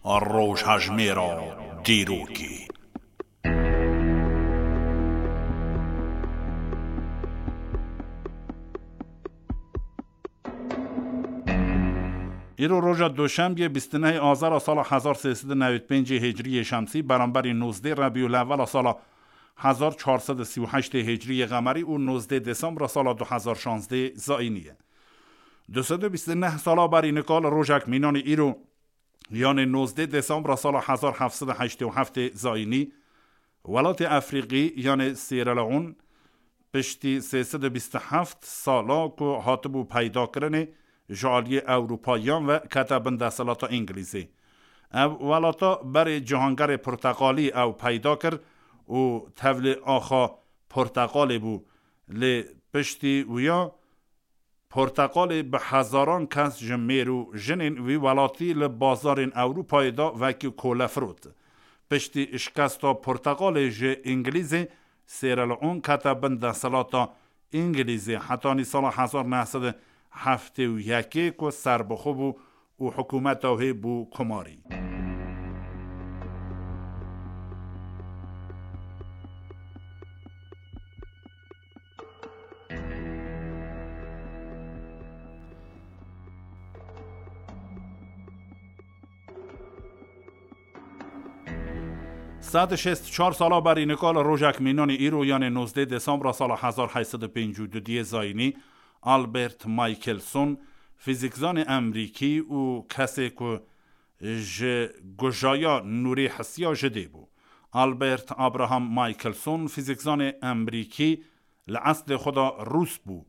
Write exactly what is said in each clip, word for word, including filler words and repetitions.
Rojhejmêra dîrokê. Îro roja Duşembiyê bîst û nehê Azara sala hezar sê sed û newî pêncê Hicriyê Şemsî, beramberî nozdê Rebîulewela sala hezar çar sed û sî û heştê Hicriyê Qemerî û nozdê Desembra sala du hezar şazdê Zayînî ye. Du sed û bîst û neh sala berî nika li rojek mînanî îro, yanê nozdê Desembra sala hezar heft sed û heştê û heftê Zayînî, welatê Efrîqî, yanê Sierra Leone, piştî sê sed û bîst û heft sala ku hatibû peydakirinê, ji aliyê Ewropayiyan ve kete bin desthilata Îngilîzê. Ev welata berê cihangerê porteqalî ew peyda kir û tevlê axa porteqalê bû. Lê piştî wiya, porteqalê bi hezaran kes ji mêr û jinên wî welatî li bazarên Ewropayê de wekî kole firot. Piştî şikesta porteqalê ji Îngilîzê, Sierra Leone kete bin desthilata Îngilîzê. Hetanî sala hezar neh sed û heftê û yekê ku serbixwe bû û hikûmeta wê bû komarî. Sed û şêst û çar sala berî nika li rojek mînanî îro, yanê nozdê Desembra sala hezar heyt sed û pêncî û du diyê Zayînî, Albert Michelson, fîzîkzanê Emerîkî û kesê ku ji gujaya nûrê hisiya ji dê bû. Albert Abraham Michelson, fîzîkzanê Emerîkî, li eslê xwe de Rûs bû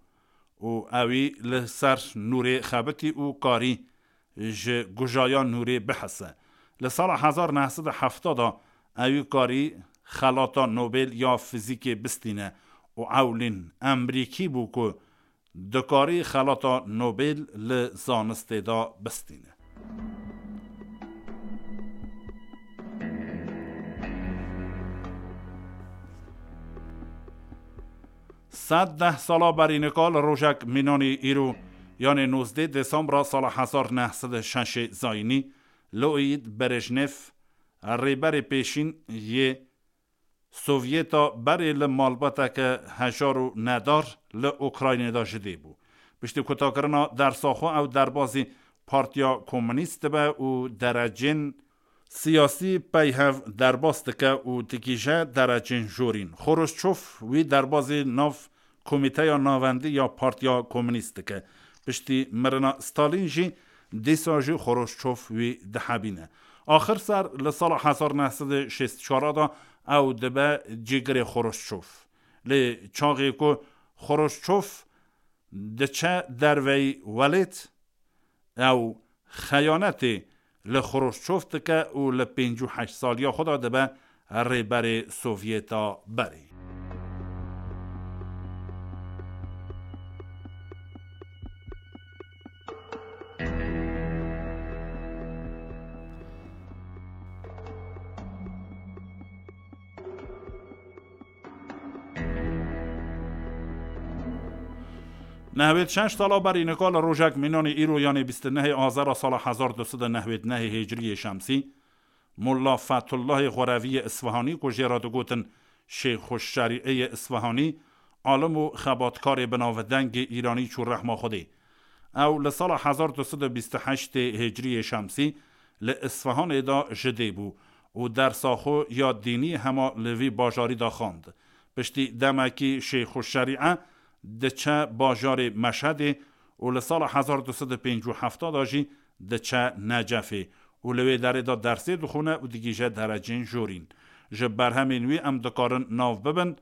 û ewî li ser nûrê xebitî û karî ji gujaya nûrê bihise. Li sala hezar neh sed û hefta de ewî karî xelata Nobel ya fizîkê bistîne û ewlîn Emerîkî bû ku dikarî xelata Nobel li zanistê de bistîne. Sed deh sala berî nika li rojek mînanî îro, yanê nozdê Desembra sala hezar neh sed û şeşê Zayînî, Leonid Brejnev, rêberê pêşîn yê Sovyeta berê li malbateke hejar û nedar li Ukraynê de ji dê bû. Piştî kutakirina dersa xwe ew derbazî Partiya Komûnîst dibe û derecên siyasî pey hev derbas dike û digihîje derecên jorîn. Xoroşçov wî derbazî nav Komîteya Navendî ya Partiya Komûnîst dike. Piştî mirina Stalîn jî dîsa jî Xoroşçov wî dihebîne. Axir ser li sala hezar neh sed û şêst û çar de ew dibe cîgirê Xoroşçov. Lê çaxê ku Xoroşçov diçe derveyî welêt, ew xeyanetê li Xoroşçov dike û li pêncî û heşt saliya xwe de dibe rêberê Sovyeta berê. Nehwêd şeş sala berî nika li rojek mînanê îro, yanê bîst û nehê Azera sala hezar du sed û nehwêd nehê Hêcrî yê Şemsî, Molla Fetullahê Xwerevî yê Isfihanî ku jê re digotin Şêxu Şerîê yê Isfihanî, alim û xebatkarê binavdengê Îranî çû rehma Xwedê. Ew li sala hezar du sed û bîst û heştê Hêcrî yê Şemsî li Isfihanê de ji dê bû û dersa xwe ya dînî hema li vî bajarî de xwend. Piştî demekî Şêxu Şerîe diçe bajarê Meşhedê û li sala hezar du sed û pêncî û heft de jî diçe Necefê û li wê derê de dersê dixwîne û digihîje derecên jorîn. Ji berhemên wî em dikarin nav bibin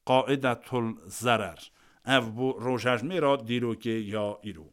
Qaidetul Zerer. Ev bû rojhejmêra dîrokê ya îro.